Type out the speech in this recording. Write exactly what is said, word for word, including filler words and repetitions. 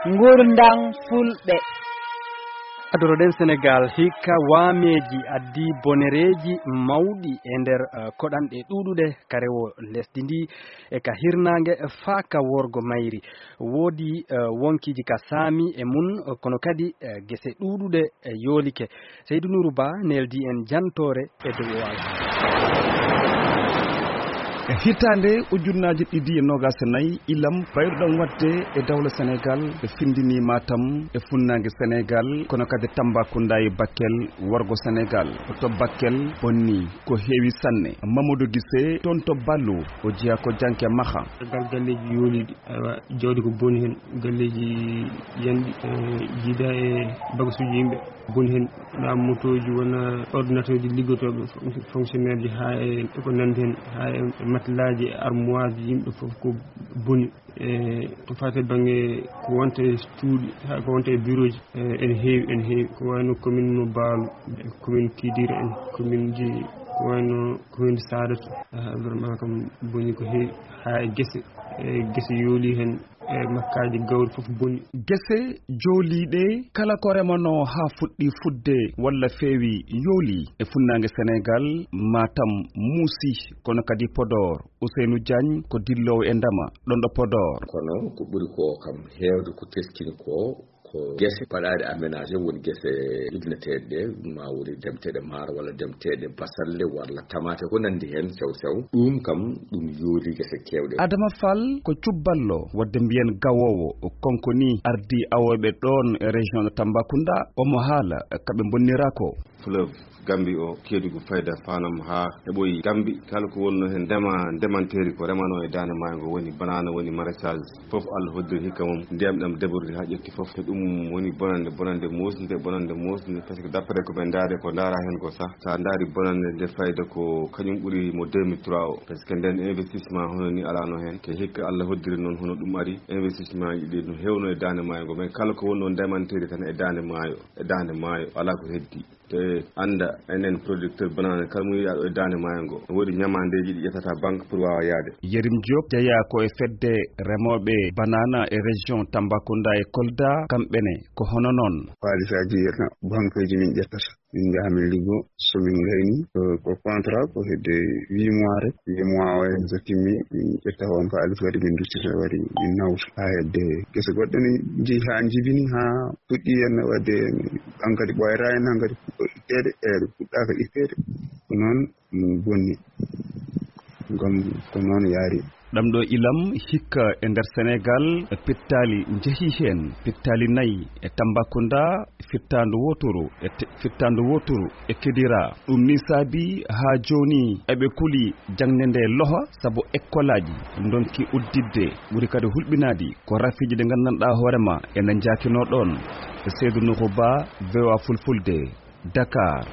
Ngurndan Fulɓe. Adoroɗen Senegaal, hikka waameeji addi bonereeji mawɗi e nder, eh, koɗanɗe ɗuuɗuɗe ka rewo lesdi ndi e ka hirnaange faa ka worgo mayri. Woodi, eh, wonkiiji ka saami e mun, eh, kono kadi, eh, gese ɗuuɗuɗe, eh, yoolike. Seydu Nuuru Ba neldi en jantoore e dow o alhaali. E hitaande ujunnaaji ɗiɗi e noogaas e nayi, ilam bayruɗam waɗde e dawla Senegaal, ɓe findini Matam e funnaange Senegaal, kono kadi Tambacounda e Bakel, worgo Senegaal. To Bakel bonni ko heewi sanne. Mamadou Gise, toon to Ballo, o jeyaa ko janke maha. Gal galleeji yooliiɗi, awa, jawdi ko boni heen, galleeji yanɗi, eh, jiida e bagasuuji yimɓe. Boni heen, wonaa motooji, wonaa ordinateurji liggotooɓe, fon-, fonctionnaire ji, haa e ko nanndi heen, haa e, e matelas ji, e armoire ji, yimɓe fof ko boni. E ko faati e bannge ko wonta e cuuɗi, haa ko wonta e bureau ji, e, ene heewi, ene heewi. Ko wayno commune mo Baalu, e commune Kidira en, commune ji, ko wayno commune Saadatu. Ah, vraiment kam boni ko heewi, haa e gese, e gese yooli heen, e makkaaji gawri fof boni. Gese jooliiɗe, kala ko remanoo haa fuɗɗi fuɗde walla feewi yooli. E funnaange Senegaal, Matam muusi, kono kadi Podor. Ousseynou Diagne ko dilloowo e ndema, ɗon ɗo Podor. Kono ko ɓuri ko kam heewde ko teskini ko, ko gese baɗaaɗe aménagé, woni gese ibneteeɗe ɗe, ma woni demteeɗe maaro walla demteeɗe basalle walla tamaate, ko nanndi heen sew sew. Ɗum kam, ɗum yooli gese keewɗe. Adama Fall ko cubballo, waɗde mbiyen gawoowo, o konko ni ardii awooɓe ɗoon e région de Tambacounda, omo haala ka ɓe mbonnira ko. Fleuve Gambie o, Kédougou, fayda Fanam haa heɓoyi Gambie. Kala ko wonnoo heen ndema, ndemanteeri ko remanoo e daande maayo ngo, woni banana, woni maraîchage, fof Allah hoddiri hikka mum. Ndiyam ɗam débordé haa ƴetti fof. Te ɗum woni bonannde, bonannde moosnde, bonannde moosnde. Parce que d'après ko ɓe ndaari, ko ndaara heen ko sah, so a ndaari bonannde nde fayda ko kañum ɓuri mo deux mille trois o. Parce que ndeen investissement hono ni alaano heen. Te hikka Allah hoddiri noon hono ɗum ari. Investissement ji ɗi no heewno e daande maayo ngo. Mais kala ko wonnoo ndemanteeri tan e daande maayo, e daande maayo, alaa ko heddi. Te annda enen producteur banana, kala mo yiya ɗo e daande maayo ngo, woodi ñamaandeeji ɗi ƴettata banque pour waawa yaade. Yerim Diop jeyaa ko e fedde remooɓe banana e région Tambacounda e Kolda, kamɓe ne ko hono noon. Haalisaaji yiyata banqueji min ƴettata. Min njaha min liggo, so min ngayni, ko, ko contrat, ko hedde huit mois rek. Huit mois o en so timmi, min ƴetta on ko alif kadi min duttita wari min nawta. Haa hedde gese goɗɗe ne njehi haa njibini, haa puɗɗi en waɗde, hankadi ɓooyata en, hankadi puɗɗo itteede, e ɗo puɗɗaaka itteede. Ko noon ɗum bonni. Ngam ko noon yaari. Ɗam ɗo ilam hikka e nder Senegaal, pittaali njehi heen, pittaali nayi e Tambacounda, fittaandu wooturu e te-, fittaandu wooturu e Kidira. Ɗum ni saabi haa jooni eɓe kuli jaŋde nde loha, sabu ekkolaaji ndonki udditde, ɓuri kadi hulɓinaade ko rafiiji ɗi nganndanɗaa hoore ma ene njaakinoo ɗoon. Seydou Nourou Ba, V O A Fulfulde, Dakar.